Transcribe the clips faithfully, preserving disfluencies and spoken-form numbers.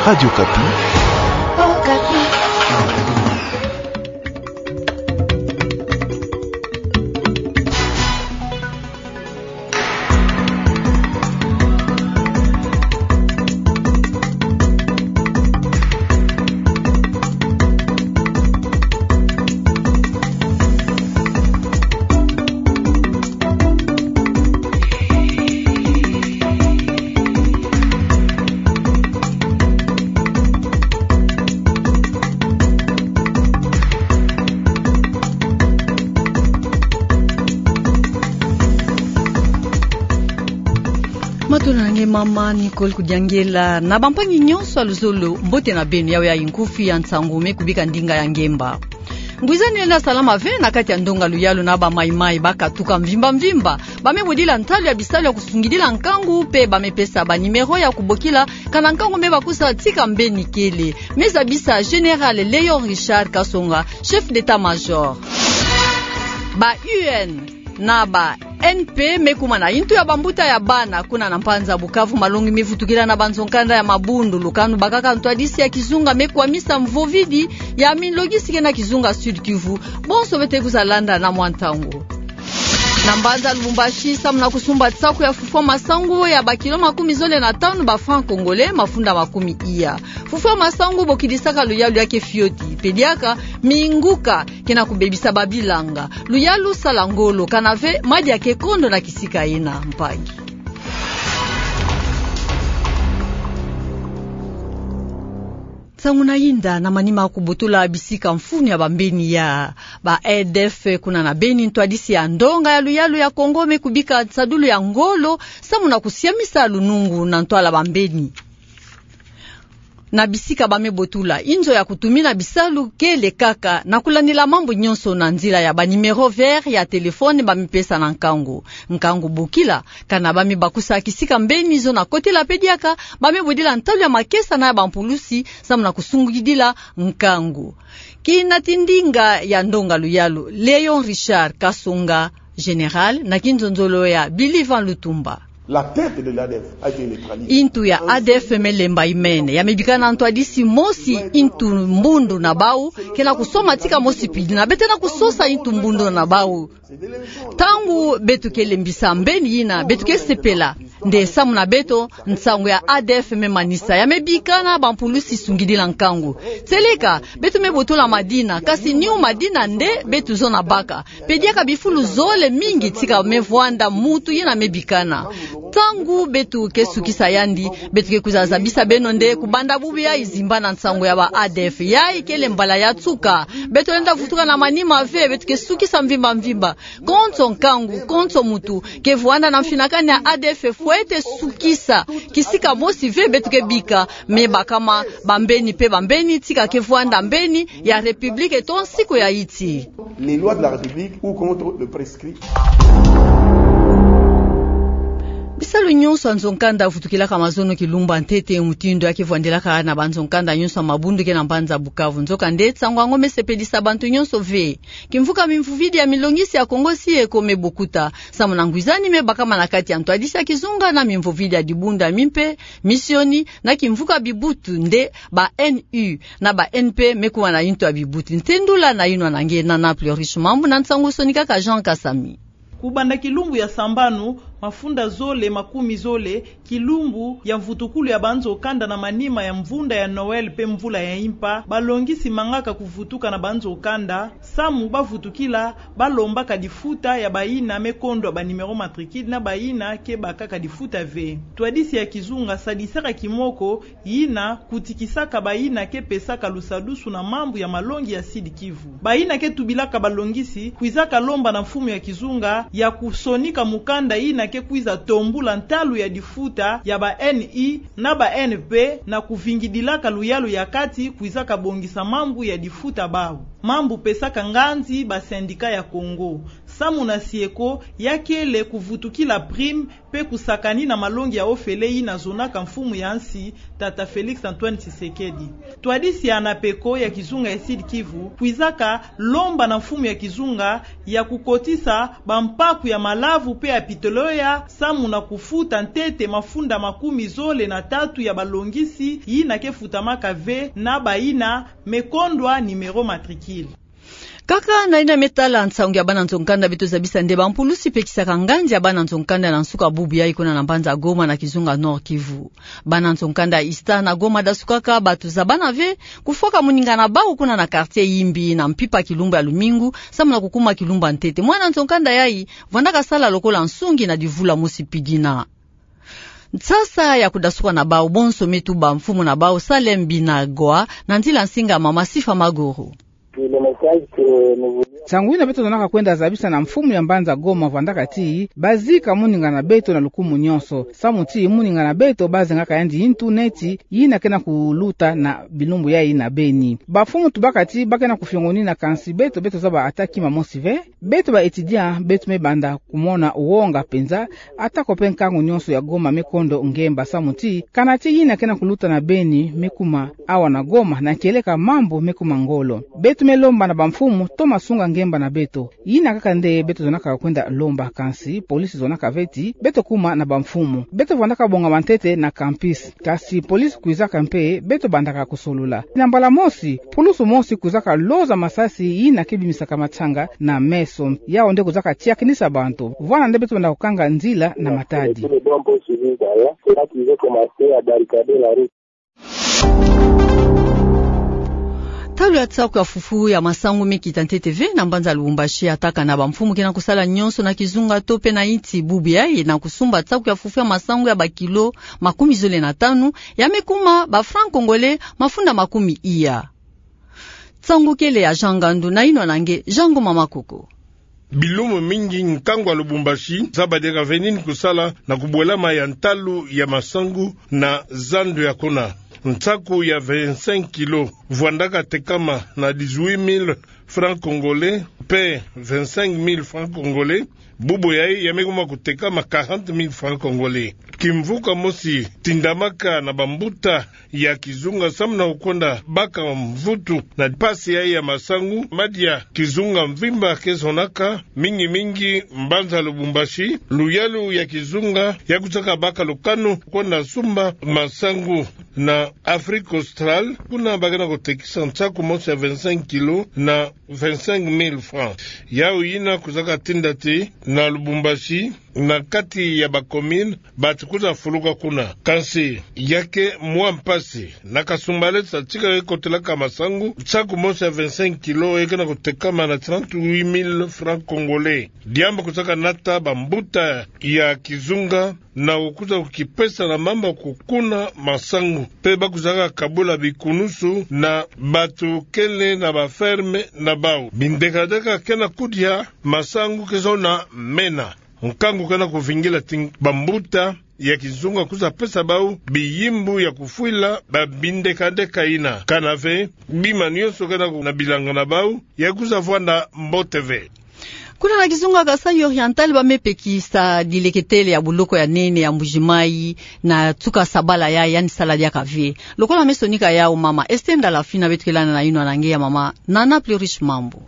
Radio Okapi. Okapi. Matondo na nge mama Nicole Kudiangela, na bampangi nyonso ya luzolo, mbote na beno. Yawe yayi nkufi ya nsangu me kubika ndinga ya ngemba. Ngwizani lenda salama ve na kati ya ndonga luyalu na bamaimai bakatuka mvimba mvimba, bamebodila ntalu ya bisalu ya kusungidila nkangu, mpe bamepesa banimero ya kubokila, kana nkangu mebakusa tika mbeni kele. Mezabisa Général Léon Richard Kasonga, chef d'état-major. Ba U N na ba N P mekumana intu ya bambuta ya bana kuna na mpanza Bukavu. Malongi mevutukila na banzo-nkanda ya mabundu. Lukanu bakaka ntwadisi ya kizunga mekwamisa mvovidi ya milongisi ke na kizunga Sud-Kivu. Bonso beto ke kwiza landa na mwa ntangu. Na mbanza Lubumbashi, samu na kusumba nsaku ya fufwa masangu ya bakilo makumi zole na tanu ba francs congolais, mafunda makumi iya. Fufwa masangu bokidisaka luyalu ya ke fioti. Mpe diaka minguka ke na kubebisa babilanga. Luyalu sala ngolo, kana ve madia ke kondo na kisika ena, mpangi. Nsangu na yinda na manima kubutula bisika mfunu ya bambeni ya ba A D F kuna na Beni. Ntwadisi ya ndonga ya luyalu ya Kongo mekubika nsadulu ya ngolo samu na kusiamisa lunungu na ntwala bambeni. Na bisika bamebotula inzo ya kutumina bisalu kele kaka na kulandila mambu nyonso na nzila ya ba numéro vert ya téléphone bamepesa na nkangu. Nkangu bokila, kana bamebakusa kisika mbeni zo na kotela. Mpe diaka bamebodila ntalu ya makesa na ya bampulusi samu na kusungidila nkangu. Kina ti ndinga ya ndonga luyalu, Léon Richard Kasonga, général, na kinzonzolo ya Billy Van Lutumba. La tête de l'A D F a été neutralisée. Intu ya A D F melemba imene, ya mebika na ntwadisi mosi intu mbundu na bau, ke na kusoma tika mosi pidi na beto na kusosa intu mbundu na bau. Ntangu beto ke lembisa mbeni yina, beto ke sepela. Nde samu na beto, nsangu ya A D F memanisa, ya mebika na bampulusi sungidila nkangu. Tieleka, beto mebotola madina, kasi niu madina nde beto zo na baka. Mpe diaka bifulu zole mingi tika mevwanda muntu yina mebikana. Ntangu beto ke sukisa yandi, beto ke kwiza zabisa beno nde kubanda bubu yayi zimbana nsangu ya ba A D F. Yayi kele mbala ya nsuka. Beto lenda vutuka na manima ve, beto ke sukisa mvimba mvimba. Konso nkangu, konso muntu ke vwanda na mfinakani ya A D F fwete sukisa. Kisika mosi ve beto ke bika, me bakama bambeni mpe bambeni tika ke vwanda mbeni ya République to nsiku ya iti. Les lois de la République ou contre le prescrit. Bisalu nyonso ya nzo-nkanda vutukilaka mazono kilumbu ya ntete, mutindu ya ke vwandilaka na banzo-nkanda nyonso ya mabundu ke na mbanza Bukavu. Nzokande, nsangu yango mesepelisa bantu nyonso ve. Kimvuka mimvuvidi ya milongisi ya Kongo si eko mebokuta. Samu na ngwizani mebakama na kati ya ntwadisi ya kizunga na mimvuvidi ya dibundu ya mimpe, misioni, na kimvuka bibutu nde ba N U na ba N P mekuma na intu ya bibutu. Ntendula na inwa na nge na Naples Riche Mambu, na nsangu sonika ka Jean Kasami. Kubanda kilumbu ya sambanu, mafunda zole makumi zole, kilumbu ya mvutukulu ya banzo-kanda na manima ya mvunda ya Noël mpe mvula ya impa, balongisi mangaka kuvutuka na banzo-kanda, samu bavutukila, balombaka difuta ya bayina mekondwa ba numéro matricule na bayina ke bakaka difuta ve. Ntwadisi ya kizunga sadisaka kimoko yina kutikisaka bayina ke pesaka lusadusu na mambu ya malongi ya Sud-Kivu. Bayina ke tubilaka balongisi kwizaka lomba na mfumu ya kizunga ya kusonika mukanda yina ke kwiza tombula ntalu ya difuta ya ba N U na ba N P na kuvingidilaka luyalu ya kati kwizaka bongisa mambu ya difuta bau. Mambu pesaka nganzi ba syndicat ya Congo. Samu na sieko, ya kele kuvutukila prime pe kusakanina malongi ya ofele yina zonaka mfumu ya nsi, tata Félix Antoine Tshisekedi. Twadisi ya na peko ya kizunga ya Sud-Kivu, kwizaka lomba na mfumu ya kizunga ya kukotisa bampaku ya malavu pe ya pitoloya, samu na kufuta ntete mafunda makumi zole na tatu ya balongisi yina ke futamaka ve na bayina me kondwa numéro matricule. Kaka na yina me tala nsangu ya bana nzo-nkanda, beto zabisa nde bampulusi pekisaka nganzi ya bana nzo-nkanda na nsuka bubu yayi kuna na mbanza Goma na kizunga Nord-Kivu. Bana nzo-nkanda ya Easter na Goma dasukaka bato zabana ve, kufwaka moningana bau kuna na quartier Yimbi na mpimpa kilumbu ya lumingu, samu na kukuma kilumbu ya ntete. Mwana nzo-nkanda yayi vwandaka sala lokola nsungi na divula mosi pidina. Nsasa ya kudasuka na bau bonso me tuba mfumu na bau Salem Binagwa na nzila nsinga mama Sifa Magoro. Nsangu yina beto zonaka kwenda zabisa na mfumu ya mbanza Goma vwandaka ti bazika moningana beto na lukumu nyonso. Samu ti moningana beto bazengaka yandi yintu neti yina ke na kuluta na bilumbu yayi na Beni. Bamfumu tubaka ti ba ke na kufiongonina, kansi beto, beto zaba ata kima mosi ve. Beto ba étudiant, beto me banda kumona wonga penza, atako pe nkangu nyonso ya Goma me kondo ngemba, samu ti kana ti yina ke na kuluta na Beni me kuma awa na Goma, na kieleka mambu me kuma ngolo. Beto me lomba na bamfumu to masunga ngemba na beto. Yina kaka nde beto zonaka kwenda lomba, kansi polisi zonaka ve ti beto kuma na bamfumu. Beto vwandaka bonga mantete na campus, kasi polisi kwizaka mpe, beto bandaka kusolola. Na mbala mosi, pulusu mosi kwizaka loza masasi yina ke bimisaka matanga na meso. Yau nde kwizaka tiakinisa bantu. Vwanda nde beto banda kukanga nzila na matadi. Ntalu ya nsaku ya fufu ya masangu me kita ntete ve na mbanza Lubumbashi, ataka na bamfumu ke na kusala nyonso na kizunga to pe na inti bubu yayi na kusumba nsaku ya fufu ya masangu ya bakilo makumi zole na tanu, ya me kuma ba francs congolais mafunda makumi iya. Nsangu kele ya Jean Ngandu na yinwa na nge Jean Ngoma Makoko. Bilumbu mingi nkangu ya Lubumbashi zaba diaka ve nini kusala na kubwelama ya ntalu ya masangu na zandu ya kuna. Nsaku ya vingt-cinq kilos vwandaka tekama na dix-huit mille francs congolais, pe vingt-cinq mille francs congolais. Bubu yayi ya me kuma kutekama quarante mille francs congolais. Kimvuka mosi tindamaka na bambuta ya kizunga samu na kukwenda baka mvutu na mpasi yayi ya masangu, madia kizunga mvimba ke zonaka, mingi mingi mbanza Lubumbashi. Luyalu ya kizunga ya kwizaka baka lukanu kwenda sumba masangu na Afrique Australe, kuna ba ke na kutekisa nsaku mosi ya vingt-cinq kilos na vingt-cinq mille francs. Yau yina kwizaka tinda ti na Lubumbashi, na kati ya ba commune, bati kwiza fuluka kuna. Kansi ya ke mwa mpasi na kasumbalesa tika ke kotelaka masangu, nsaku mosi ya vingt-cinq kilos ya ke na kutekama na trente-huit mille francs congolais. Diambu kwizaka nata bambuta ya kizunga na kukwiza kukipesa na mamba kukuna masangu, pe ba kwizaka kabula bikunusu na bato kele na ba ferme na bau. Bindekadeka ke na kudia, masangu ke zona mena. Nkangu ke na kuvingila ti bambuta ya kizunga kwiza pesa bau biyimbu ya kufwila ba bindekadeka yina. Kana ve bima nyonso ke na ku-, na bilanga na bau, ya kwiza vwanda mbote ve. Kuna na kizunga Kasaï Oriental, ba me pekisa dileketele ya boloko ya nene ya Mbuji-Mayi na nsuka sabala yayi, yandi sala diaka ve. Lokola me sonika yau, mama Esther Ndala Fina, beto ke landa na yinwa na nge ya mama Nana Plurish Mambu.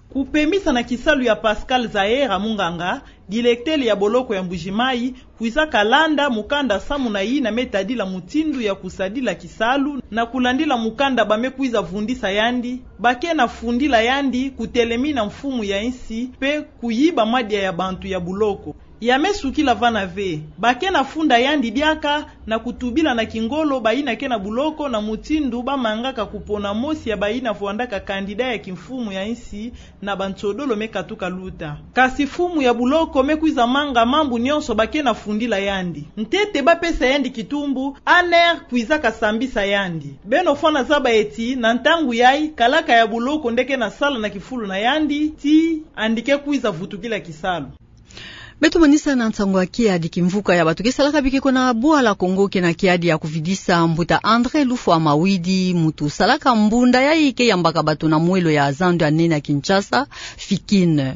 Kupemisa na kisalu ya Pascal Zahera, munganga, dileketele ya boloko ya Mbuji-Mayi, kwizaka landa mukanda samu na yina me tadila mutindu ya kusadila kisalu, na kulandila mukanda ba me kwiza vundisa yandi, ba ke na fundila yandi kutelemina mfumu ya insi pe kuyiba madia ya bantu ya boloko. Ya me sukila vana ve, ba ke na funda yandi diaka na kutubila na kingolo bayina ke na boloko na mutindu ba mangaka kupona mosi ya bayina vwandaka candidat ya kimfumu ya insi na bansodolo me katuka luta. Kasi mfumu ya boloko me kwiza manga mambu nyonso ba ke na fundila yandi. Ntete ba pesa yandi kitumbu, aner kwizaka sambisa yandi. Beno fwana zaba eti na ntangu yayi, kalaka ya boloko nde ke na sala na kifulu na yandi, ti yandi ke kwiza vutukila kisalu. Beto manisa na nsangu ya kiadi kimvuka ya bato ke salaka bikeko na bwala Kongo ke na kiadi ya kuvidisa mbuta André Lufwa Mawidi, muntu salaka mbunda yayi ke yambaka bato na mwelo ya zando ya nene ya Kinshasa, Fikin.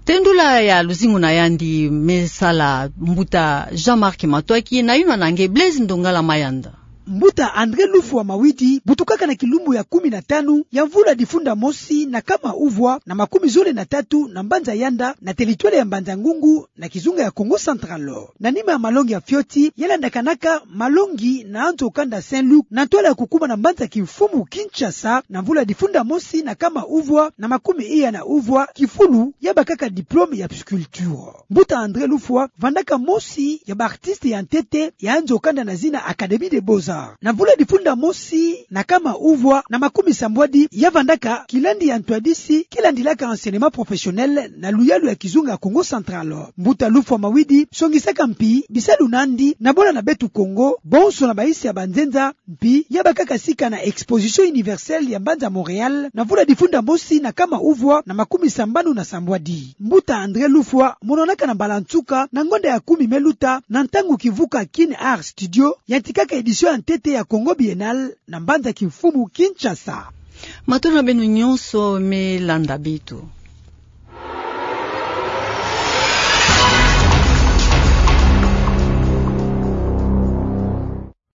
Tendula ya luzingu na yandi me sala mbuta Jean-Marc Matwaki, na yinwa na nge Blaise Ndongala Mayanda. Mbuta André Lufwa Mawidi butukaka na kilumbu ya kumi na tanu ya mvula difunda mosi na kama uvwa na makumi zole na tatu na mbanza Yanda, na teritware ya Mbanza Ngungu, na kizunga ya Kongo Central. Na nima ya malongi ya fioti, yalandakanaka malongi na nzo kanda Saint-Luc, na ntwala ya kukuma na mbanza kimfumu Kinshasa, na mvula difunda mosi na kama uvwa na makumi iya na uvwa, kifulu yabakaka diplôme ya sculpture. Mbuta André Lufwa vandaka mosi ya ba artiste ya ntete ya nzo kanda na zina Académie des Beaux-Arts. Na mvula difunda mosi na kama uvwa na makumi sambwadi, yavandaka kilandi ya ntwadisi ke landilaka enseignement professionnel na luyalu ya kizunga ya Kongo Central. Mbuta Lufwa Mawidi songisaka mpi bisalu nandi na bwala na beto Kongo bonso na bahisi ya banzenza, mpi yabakaka sika na Exposition Universelle ya mbanza Montréal na mvula difunda mosi na kama uvwa na makumi sambanu na sambwadi. Mbuta André Lufwa mononaka na mbala nsuka na ngonda ya kumi me luta, na ntangu kivuka Kin Art Studio yantikaka édition ya ntete ya Congo Biennale na mbanza kimfumu Kinshasa. Matondo na beno nyonso me landa beto.